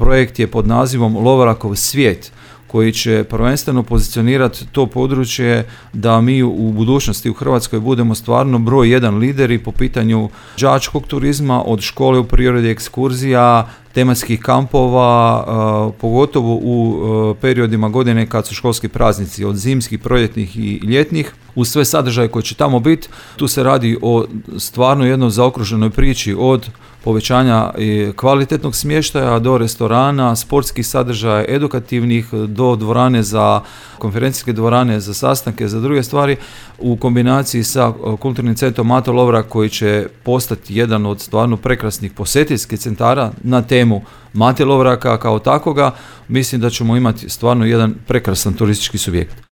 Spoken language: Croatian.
projekt je pod nazivom Lovorakov svijet, koji će prvenstveno pozicionirati to područje da mi u budućnosti u Hrvatskoj budemo stvarno broj jedan lideri po pitanju đačkog turizma, od škole u prirodi, ekskurzija, tematskih kampova, pogotovo u periodima godine kad su školski praznici, od zimskih, proljetnih i ljetnih, uz sve sadržaje koje će tamo biti. Tu se radi o stvarno jednoj zaokruženoj priči, od povećanja kvalitetnog smještaja do restorana, sportskih sadržaja, edukativnih, do dvorane za konferencijske dvorane, za sastanke, za druge stvari, u kombinaciji sa kulturnim centrom Mato Lovrak koji će postati jedan od stvarno prekrasnih posjetiteljskih centara na temu Mate Lovraka kao takoga. Mislim da ćemo imati stvarno jedan prekrasan turistički subjekt.